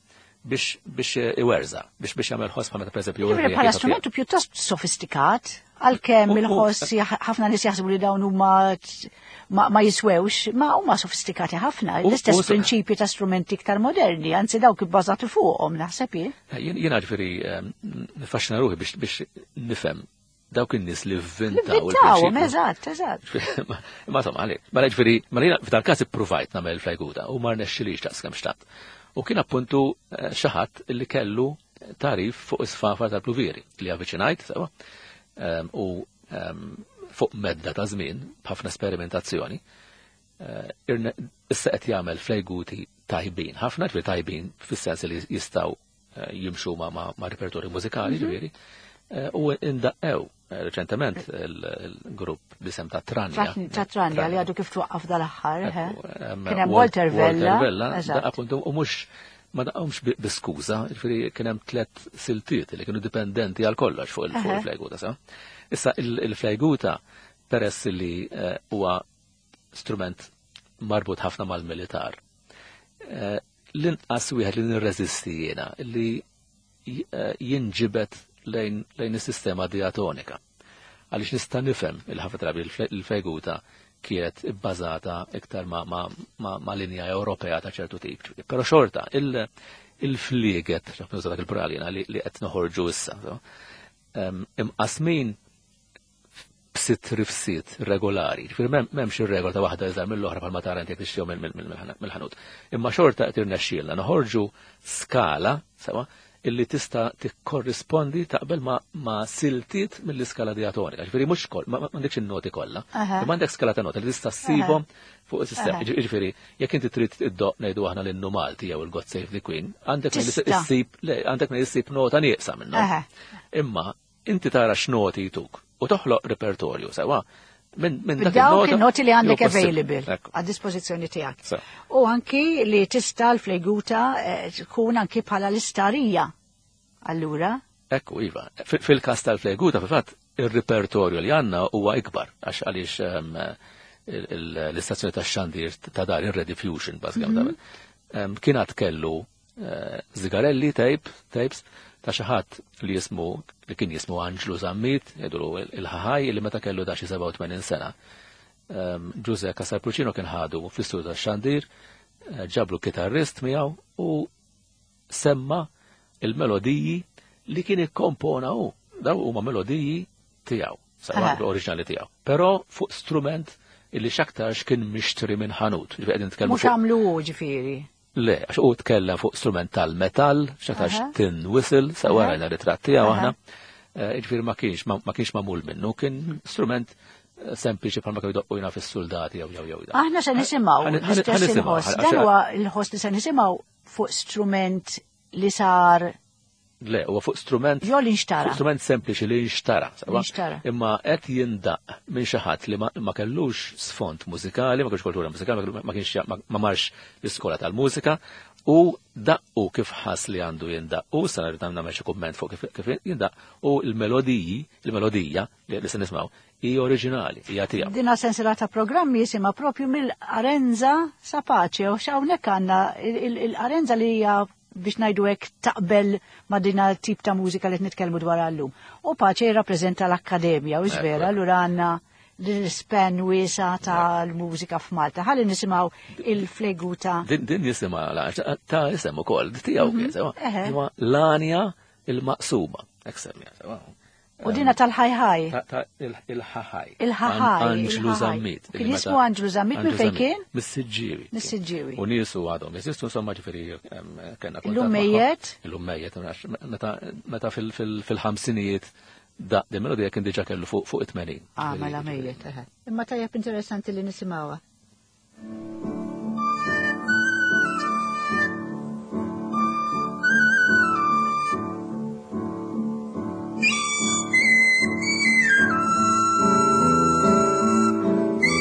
biex biex iwerża, biex biex jagħmel ħoss bħal meta pereżempju Jiġifieri ir-riħ bħala jitfa' strumentu pjuttost sofistikat, għalkemm U- u- il-ħoss jaħ- ħafna nies jaħsbu li dawn huma t- ma, ma jiswewx, ma huma sofistikati ħafna. U- L-istess u- prinċipji ta' strumenti iktar moderni, anzi dawk ibbażati fuqhom naħseb jien. Jien jiena ġifieri em, nifaxxina ruħi biex biex nifhem dawk in-nies li vvintaw Vintawhom, il-prinċipju. eżatt, eżatt. Ma ma insomma, għalik. Mela ġifieri, mela jiena f'dal każ ippruvajt nagħmel flajguta u ma rnexxilix daqs kemm xtaqt. U kien appuntu eh, xi ħadd li kellu tarif fuq isfafar tal-pluvieri li avviċinajt sewa em, u em, fuq medda ta' żmien b'ħafna sperimentazzjoni eh, irne- issa qed jagħmel flejguti tajbin, ħafna ġifieri tajbin fis-sens li jistgħu eh, jimxu ma' ma' ma' repertorju mużikali ġifieri eh, u indaqqew eh, reċentement il-grupp b'isem ta' Tranja. Tratni- Ta' Tranja li għadu kif twaqqaf dal-aħħar. eħe. Ekku, em, Kien hemm Wal- Walter Vella. Walter Vella, eżatt. da appuntu, u mhux ma daqhomx bi- bi skuża, ġifieri kien hemm tliet siltiet li kienu dipendenti għal kollox fuq il- fuq Eħe. il-flejguta, sa. Issa il- il-flejguta peress li eh, huwa strument marbut ħafna mal-militar. Eh, L-inqas wieħed li nirreżisti jiena li j- eh, jinġibet lejn lejn is-sistema diatonika. Għaliex nista' nifhem il-ħafna drabi il-feguta kienet ibbażata iktar ma, ma, ma, ma linja Ewropea ta' ċertu tip. Però xorta, il- il-flieget, xaf nuża dak il-plural jiena, li, li qed noħorġu issa, so, em, imqasmin b'sitt rifsiet regolari. Ġifieri m'hemm- m'hemmx ir-regola ta' waħda iżgħar mill-oħra bħalma tara inti jekk tixtrihom mill- mill- mill- mill-ħanut. Imma xorta qed irnexxielna noħorġu skala sewa illi tista' tikkorrispondi taqbel ma, ma siltiet mill-iskala diatonika. Ġifieri mhux kol, ma ma- m'għandekx in-noti kollha. Aha. Imma għandek skala ta' noti li tista' ssibhom fuq is-sistema. Aha. Ġifieri jekk inti trid iddoq ngħidu aħna l-innu Malti jew il-God Save the Queen, għandek minn Tista'. issib le, għandek minn issib nota nieqsa minnhom. Aha. Imma inti tara x'noti jtuk u toħloq repertorju sewa minn minn dak Dawk il-nota il-noti li għandek jew possibbli. available Ekku. għad dispożizzjoni tiegħek. Sa. U anki li tista' l-fleguta eh, tkun anki bħala l-istarija. Allura, Ekku, iva. Fil- Fil-kas tal-fleguta, fil-fatt, il-repertorju li għanna huwa ikbar, għax għaliex ehm, il- il- l-istazzjoni ta' xandir ta' dar, il-Red Fusion, bażikament. Ehm, Kien għad kellu eh, zigarelli, tape, tapes, ta' xi ħadd li jismu, li kien jismu Anġlu Zammit, jgħidulu il-ħaħaj, li meta kellu da xi sebgħa u tmenin sena. Ehm, Giuseppe Casarprucino kien ħadu fl-istudio ta' xandir, eh, ġablu kitarrist miegħu u semma il-melodiji li kien ikkompona hu. Daw huma melodiji tiegħu, sewa Aha. oriġinali tiegħu. Però fuq strument illi x'aktarx kien mixtri minn ħanut. Ġifieri qegħdin nitkellmu mhux fuq għamlu hu ġifieri. Le, għax u tkellem fuq strument tal-metall, x'aktarx Aha. tin whistle, sewa Aha. rajna ritratt tiegħu Aha. aħna. Eh, Ġifieri ma kienx ma ma kienx magħmul minnu, kien strument eh, sempliċi bħalma kienu jdoqqu jina fis-soldati jew jew jew. Aħna se nisimgħu Ħan- ħan- l-istess ħan nisimgħu, il-ħoss. għax- Dan huwa l-ħoss li se nisimgħu fuq strument li sar Le, huwa fuq strument jew li nxtara. Fuq strument sempliċi li nxtara. sewa? Li nxtara. Imma qed jindaq minn xi ħadd li ma, ma kellux sfond mużikali, ma kellux kultura mużikali, ma- ma kienx ma, ma marx l-iskola tal-mużika u daqqu kif ħass li għandu jindaq. U sa rrid nagħmel xi kumment fuq kif, kif jindaq u l-melodiji, il-melodija li, li se nismgħu hi oriġinali, hija tiegħu. Dina sensiela ta' programmi jisimha propju mill-Arenza sa Pace u hawnhekk għandna il-Arenza li hija biex ngħidu hekk taqbel ma' dina tip ta' mużika li qed nitkellmu dwar llum. U Pace jirrappreżenta l-Akkademja u vera, allura għandna l-span wiesa tal-mużika f'Malta. Ħalli nisimgħu il-fleguta. Din, din jisimha la- ta' isem ukoll, tiegħu kien sewa. Eħe. Imma l-anja il-maqsuma, hekk semmija, sewa. U dina tal-ħajħaj. Ta' ta' il- il-ħaħaj. Il-ħaħaj, An- Anġlu il-ħaħaj. Zammit. Kien jismu Anġlu Zammit minn Anġlu fejn Zammit. kien? Mis-Siġġiewi. Mis-Siġġiewi. U niesu għadhom jeżistu, insomma ġifieri em, kellna kuntatt Illum magħhom. mejjet? Illum mejjet, ma nafx, meta meta fil- fil- fil-ħamsinijiet daq din melodija kien diġà kellu fuq fuq it-tmenin. Ah, Ġifieri- mela mejjet, eħe. Imma tajjeb interessanti li nisimgħuha. Thank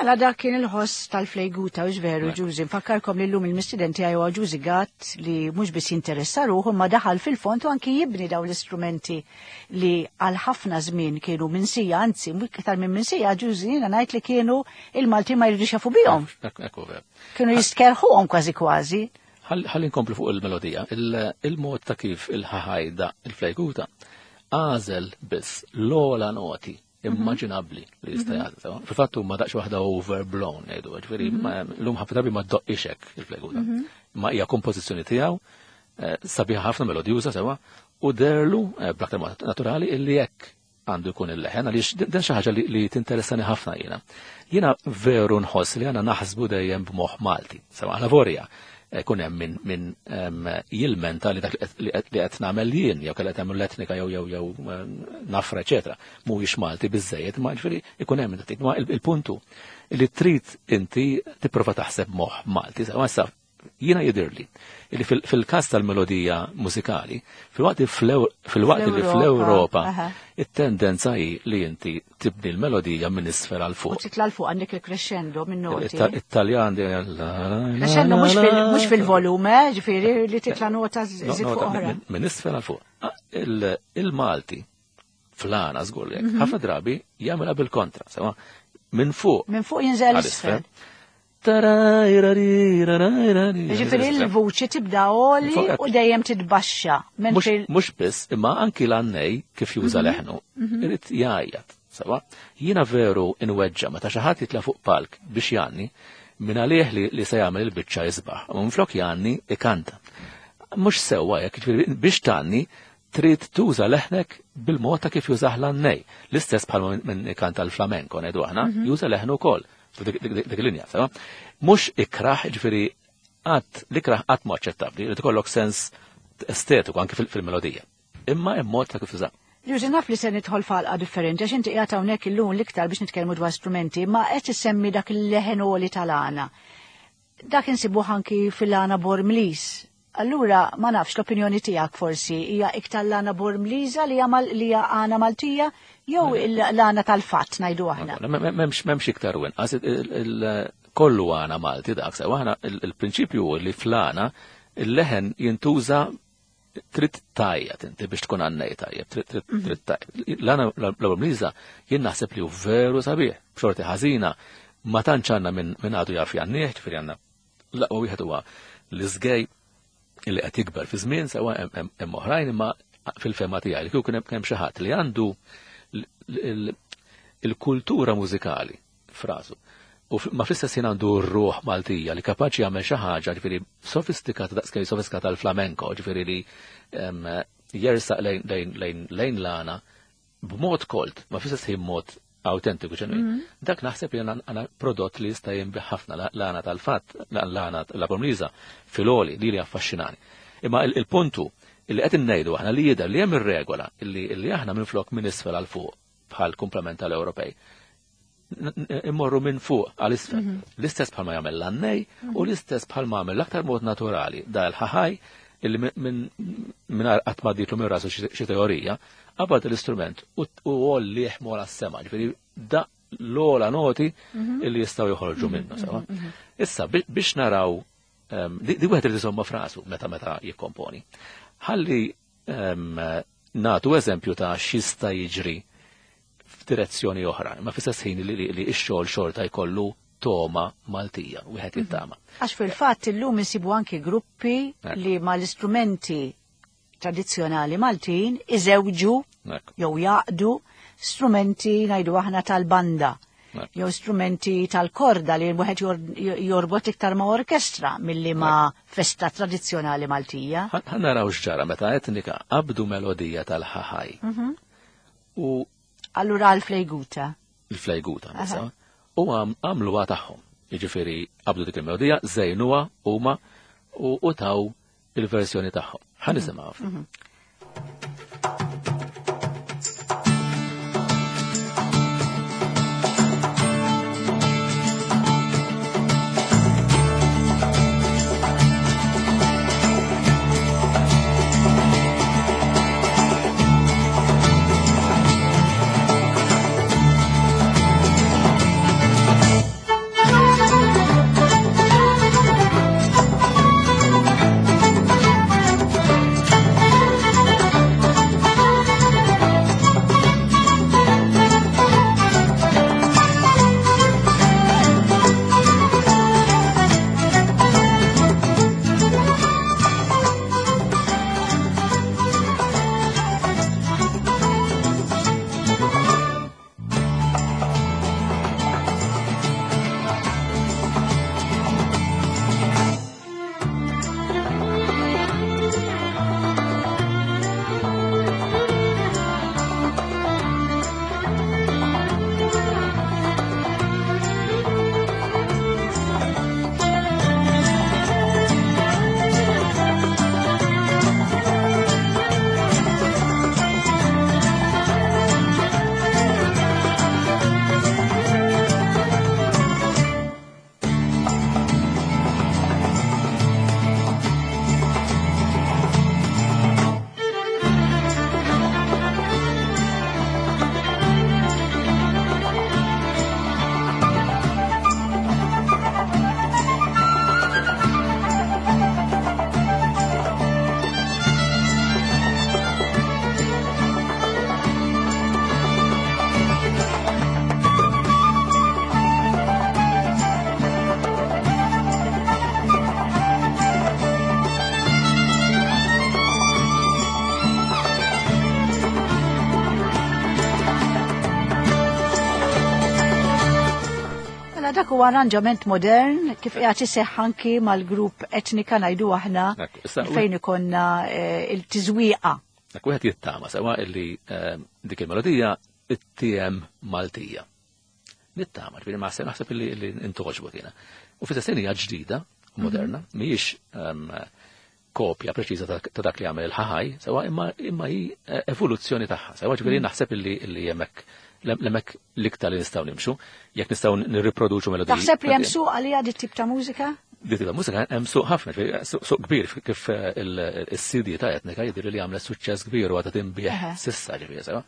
Mela dak kien il-ħoss tal-flejguta u veru Ġużi. Nfakkarkom li llum il-mistidenti għaj huwa Ġużi Gatt li mhux biss jinteressa ruħu ma daħal fil-fond u anki jibni daw l-istrumenti li għal ħafna żmien kienu minsija, anzi iktar minn minsija Ġużi jiena ngħid li kienu il-Malti ma jridux jafu bihom. Kienu jistkerħuhom kważi kważi. Ħalli nkomplu fuq il-melodija. Il-mod ta' kif il-ħaħajda il-flejguta għażel biss l-ogħla noti immaġinabbli li jista' jagħti. Fil-fatt huma daqs waħda overblown ngħidu, ġifieri llum ħafna drabi ma ddoqqix hekk il-flejguta. Ma hija kompożizzjoni tiegħu sabiħa ħafna melodjuża sewa u derlu bl-aktar mod naturali illi hekk għandu jkun il-leħen għaliex din xi ħaġa li tinteressani ħafna jiena. Jiena veru nħoss li għandna naħsbu dejjem b'moħħ Malti. Sewa aħna vorja kun hemm min min jilmenta li dak li qed nagħmel jien jew kellha tagħmel l-etnika jew jew jew nafra eċetera mhuwiex Malti biżejjed, ma ġifieri ikun hemm dak. Ma il-puntu li trid inti tipprova taħseb moħħ Malti. Issa jiena jidhirli li fil-każ tal-melodija mużikali, fil-waqt fil-waqt li fl-Ewropa it-tendenza hi li inti tibni l-melodija minn isfel għal fuq. U titla' l fuq għandek il-crescendo minn noti. It-Taljan crescendo mhux fil-volume, ġifieri li titla' nota żid fuq oħra. Minn isfel għal fuq. Il-Malti fl-għana żgur li hekk, ħafna drabi jagħmilha bil-kontra, sewa minn fuq. Minn fuq jinżel isfel. Ġifieri l-vuċi tibda għoli u dejjem titbaxxa. Mhux biss, imma anki l-għannej kif juża leħnu, irid jgħajjat. Sewa, jiena veru inweġġa meta xi ħadd jitla' fuq palk biex jgħanni minn għalih li se jagħmel il-biċċa isbaħ, u minflok jgħanni ikanta. Mhux sewwa jekk, ġifieri biex tgħanni trid tuża leħnek bil-mod ta' kif jużah l-għannej. L-istess bħal minn ikanta l-flamenko ngħidu aħna, juża leħnu wkoll. Dik linja, sewa. Mhux ikraħ, ġifieri qatt l-ikraħ qatt ma aċċettabbli, li tkollok sens estetiku anke fil-melodija. Imma hemm mod ta' kif tuża. Ġużi, naf li se nidħol f'għalqa differenti għax inti qiegħed hawnhekk illum l-iktar biex nitkellmu dwar strumenti, ma qed issemmi dak il-leħen għoli tal-għana. Dak insibuh anki fil-għana Bormlis. Allura ma nafx l-opinjoni tiegħek forsi hija iktar l-għana Bormliża li hija għana Maltija jew l-għana tal-fatt ngħidu aħna. M'hemmx m'hemmx iktar u inqas, kollu għana Malti dak sewa. Aħna il-prinċipju li fl-għana il-leħen jintuża trid tajjeb inti biex tkun għannej tajjeb, trid tajjeb. L-għana l-Bormliża jien naħseb li hu veru sabiħ, b'xorti ħażina ma tantx għandna minn għadu jaf jgħannih, ġifieri għandna l-aqwa wieħed huwa l-iżgej illi qed jikber fi żmien sewa hemm oħrajn, imma fil-fema tiegħi li kieku hemm xi ħadd li għandu il-kultura mużikali frasu u ma fl-istess ħin għandu r-ruħ Maltija li kapaċi jagħmel xi ħaġa ġifieri sofistikata daqskemm sofistikata l-flamenko, ġifieri li jersaq lejn lejn l-għana b'mod kolt, ma fl-istess ħin mod autentiku ġenwin. Dak naħseb li għana prodott li jista' jinbih ħafna l-għana tal-fatt, l-għana l-Bormliża fil-għoli li li affaxxinani. Imma il-puntu li qed innejdu aħna li jidher li hemm ir-regola li aħna minflok minn isfel għal fuq bħal komplement tal-Ewropej immorru minn fuq għal isfel. L-istess bħalma jagħmel l-għannej u l-istess bħalma jagħmel l-aktar mod naturali da l-ħaħaj illi minn qatt ma ditlu minn rasu xi teorija, qabad l-istrument u għollih mola s-sema, ġifieri da l-ogħla noti illi jistgħu joħorġu minnu sewa. Issa biex naraw di wieħed irid isomma frasu meta meta jikkomponi. Ħalli nagħtu eżempju ta' x'jista' jiġri f'direzzjoni oħra, ma fl-istess ħin li x-xogħol xorta jkollu toma Maltija, wieħed jittama. Għax fil-fatt illum insibu anki gruppi li mal-istrumenti tradizzjonali Maltin iżewġu jew jaqdu strumenti ngħidu aħna tal-banda jew strumenti tal-korda li wieħed jorbot iktar ma' orkestra milli ma' festa tradizzjonali Maltija. Ħa naraw x'ġara meta etnika qabdu melodija tal-ħaħaj. U allura għall-flejguta. Il-flejguta, misa. U għamluha tagħhom. Jiġifieri qabdu dik il-melodija, żejnuha huma u taw il-versjoni tagħhom. Ħa nisimgħu. Thank dak huwa arranġament modern kif qiegħed iseħħ anki mal-grupp Etnika ngħidu aħna Ekku, issa- fejn ikonna eh, il-tiżwieqa. Dak wieħed jittama sewa illi eh, dik il-melodija it-tiem Maltija. Nittama, ġifieri ma naħseb illi illi intogħġbu kiena. U fis hija ġdida, moderna, mhijiex ehm, kopja preċiża ta' ta' dak li għamel il-ħaħaj, sewa imma imma hi eh, evoluzzjoni tagħha. Sewa ġifieri naħseb illi illi hemmhekk hemmhekk l-iktar li nistgħu nimxu, jekk nistgħu nirriproduċu melodiji. Taħseb li hemm suq għalija dit tip ta' mużika? Dit ta' mużika hemm suq ħafna, ġifieri, suq suq kbir kif eh, il- il-C D ta' Etnika jidher li għamlet suċċess kbir u għadha tinbiegħ Eħe. s'issa ġifieri sewa.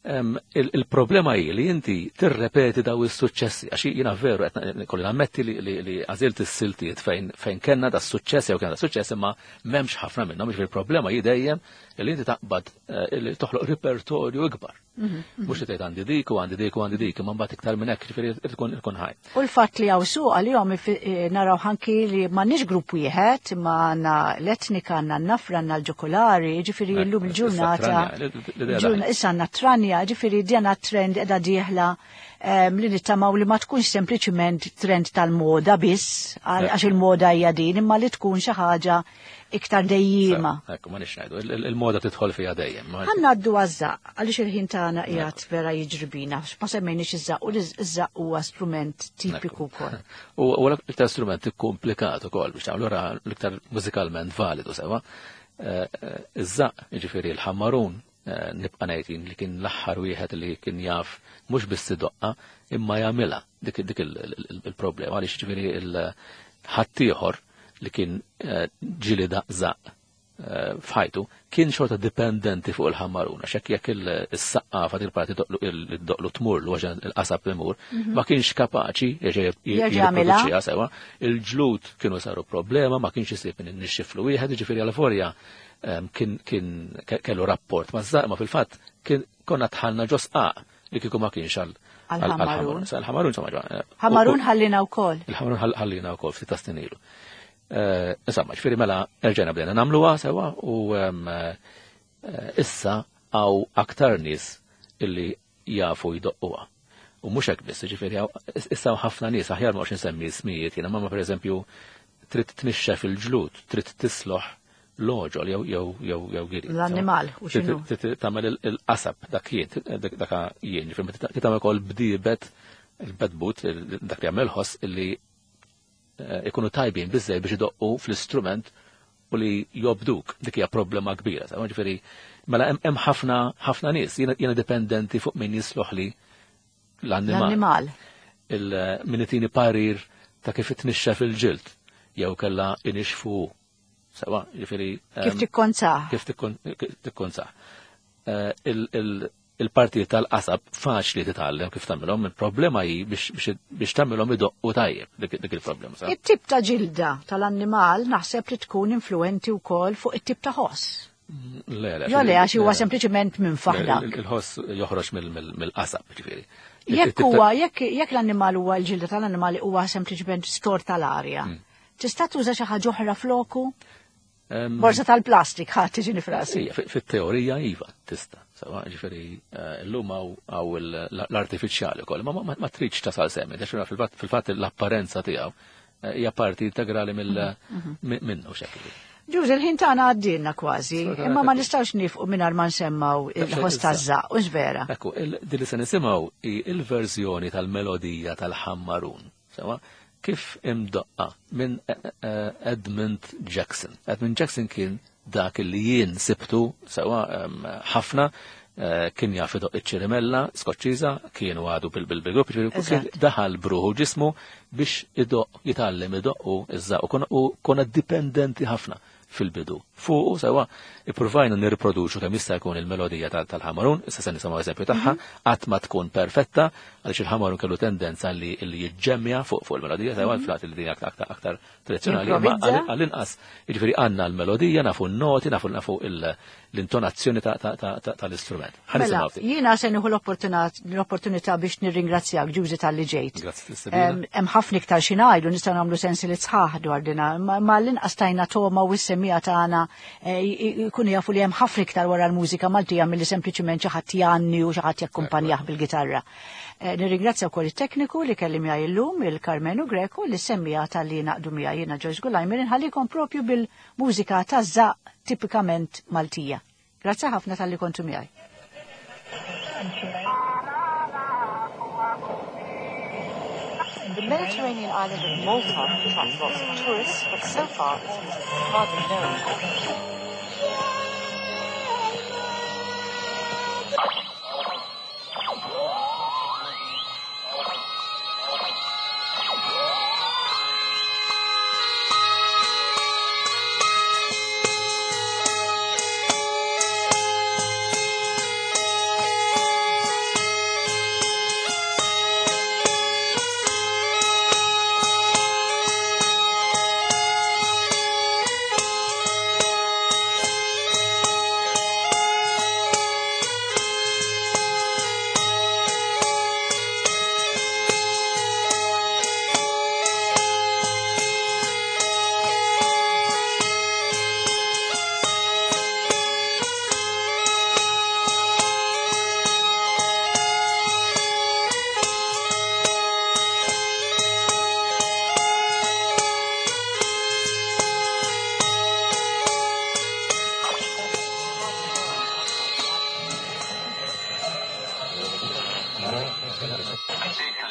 Em, il- Il-problema hi li inti tirrepeti daw is-suċċessi, għax jiena veru qed kolli nammetti li li li għażilt is-siltiet fejn fejn kellna da suċċess jew kellna da suċċess imma m'hemmx ħafna minnhom, jiġifieri il-problema hi dejjem li inti taqbad eh, li toħloq repertorju ikbar. Mhux li tgħid għandi dik u għandi dik u għandi dik, imma mbagħad iktar minn hekk, ġifieri tkun ikun ħaj. U l-fatt li hawn suq għalihom ifi- eh, naraw anki li m'għandniex grupp wieħed, imma għandna l-Etnika, għandna n-Nafra, għandna l-Ġokolari, ġifieri llum Issa il-ġurnata. Tranja, l-idea ġurna- daħlet. Issa għandna Tranja, ġifieri djana trend qiegħda dieħla em, li nittamaw li ma tkunx sempliċiment trend tal-moda biss, għal- għax il-moda hija din, imma li tkun xi ħaġa iktar dejjima. Ekku, ma nix ngħidu, il- il- il-moda tidħol fiha dejjem. ma- Ħa ngħaddu għaż-żaqq, għaliex il-ħin tagħna qiegħed vera jiġri bina, ma semmejniex iż-żaqq u l-żaqq huwa strument tipiku wkoll. U u l-iktar strument komplikat ukoll biex tagħmlu ra l-iktar mużikalment validu sewa. Eh, eh, Iż-żaqq, jiġifieri l-ħammarun, eh, nibqa' ngħid li kien l-aħħar wieħed li kien jaf mhux biss idoqqa imma jagħmilha dik dik il- il- il-problema għaliex jiġifieri il-ħaddieħor li kien eh, ġieli daqq żaqq eh, f'ħajtu kien xorta dipendenti fuq il-ħammaruna, xek jekk il-saqqafa il-parti doqlu tmur l il-qasab imur, ma kienx kapaċi jerġa' Jerġa' jagħmilha. jirriproduċiha sewa, il-ġlud kienu saru problema, ma kienx isib min nixxiflu wieħed, ġifieri għal forja em, kien kien ke- kellu rapport ma' żaq, ma fil-fatt kien konna tħallna ġo sqaq li kieku ma kienx għal Għal-ħammarun. Għal-ħammarun, insomma, ġo- eh, Ħammarun u- ħallina wkoll. Il-ħamrun ħall- ħallina wkoll ftit ta' snin ilu. Eh, Insomma, ġifieri mela erġajna bdejna nagħmluha sewa u em, eh, issa hawn aktar nies illi jafu jdoqquha. U mhux hekk biss, ġifieri hawn- issa hawn ħafna nies aħjar ma nsemmi ismijiet jiena, ma pereżempju trid tnixxef il-ġlud, trid tisloħ l-oġol jew jew jew jew giri. L-annimal, u x'inhu? Trid trid tagħmel il- il-qasab dak jien, dak dak jien, ġifieri trid tagħmel ukoll bdiebet il-bedbut, il- dak li jagħmel ħoss illi eh, ikunu tajbin biżej biex idoqqu fl-istrument u li jobduk. Dik hija problema kbira. Sa ġifieri mela hemm hemm ħafna ħafna nies, jiena jiena dipendenti fuq min jisloħ li l-annimal. L-annimal. Il min itini parir ta' kif itnixxef il-ġild jew kella inixfu. Sewa, ġifieri Kif em, tikkonzah? Kif tikkon- tikkonsaħ. Eh, il- il- Il-partijiet tal-qasab faċli titgħallem kif tagħmilhom, il-problema hi biex biex- biex tagħmilhom idoqqu tajjeb, dik dik il-problema. sa. It-tip ta' ġilda tal-annimal naħseb li tkun influenti wkoll fuq it-tip ta' ħoss. Le, le. Jo le, għax huwa le. sempliċement minn faħdak. Il- Il-ħoss joħroġ mill- mill- mill-qasab, ġifieri. Jekk It-tip ta' huwa, jekk jekk l-annimal huwa l-ġilda tal-annimal huwa sempliċement stor tal-arja. Hmm. Tista' tuża xi ħaġa oħra floku? Em, Borsa tal-plastik ħadd tiġini frasi. Ija, fi- fit-teorija iva, tista. Sewa, ġifieri, eh, llum hawn hawn il- l-artifiċjali wkoll, ma ma- ma tridx tasal semmi, għax fil-fatt fil-fatt l-apparenza tiegħu eh, hija parti integrali mill mi- minnu xekk. Ġuż, il-ħin tagħna għaddilna kważi, Sfortunatament. imma ma nistgħux nifqu mingħajr ma nsemmaw il-ħoss taż-żaqq, u vera. Ekku, il- din li se nisimgħu hi il-verżjoni tal-melodija tal-ħammarun. Sewa, kif imdoqqa minn eh, eh, Edmund Jackson. Edmund Jackson kien dak li jien sibtu sewa em, ħafna eh, kien jaf idoq iċ-ċirimella Skoċċiża, kien għadu bil-bil-grupp, ġifieri kien Eżatt. daħal bruħu ġismu biex idoq jitgħallem idoqqu iż-żaqq u konna- u konna dipendenti ħafna fil-bidu. Fuqu sewa ippruvajna nirriproduċu kemm jista' jkun il-melodija tal- tal-ħamarun, issa se nisimgħu eżempju tagħha, qatt ma tkun perfetta għaliex il-ħamarun kellu tendenza li li jiġġemmja fuq fuq il-melodija, sewa l-flat li din aktar aktar aktar tradizzjonali, imma Improvizza. għal- għall-inqas jiġifieri għandna l-melodija, nafu n-noti, nafu nafu il- l-intonazzjoni ta- ta- ta- ta- tal-istrument. Ħa Mela, nisimgħu ftit. jiena se nieħu l-opportunità l-opportunità biex nirringrazzjak Ġużi talli ġejt. Grazzi tas-stedina. Em, Hemm ħafna iktar xi ngħidu nistgħu nagħmlu sensi li sħaħ dwar dina, ma ma l-inqas tajna toma u Is-semmiegħa tagħna jkunu jafu li hemm ħafna iktar wara l-mużika Maltija milli sempliċiment xi ħadd jgħanni u xi ħadd jakkumpanjah bil-gitarra. Nirringrazzja wkoll it-tekniku li kelli miegħi llum, il-Karmenu Greco, li semmiegħa talli ngħaqdu miegħi. Jiena Joyce Gulajmer inħallikom propju bil-mużika taż-żaqq tipikament Maltija. Grazzi ħafna talli kontu miegħi. The Mediterranean island of Malta attracts lots of tourists, but so far its music is hardly known. Thank you.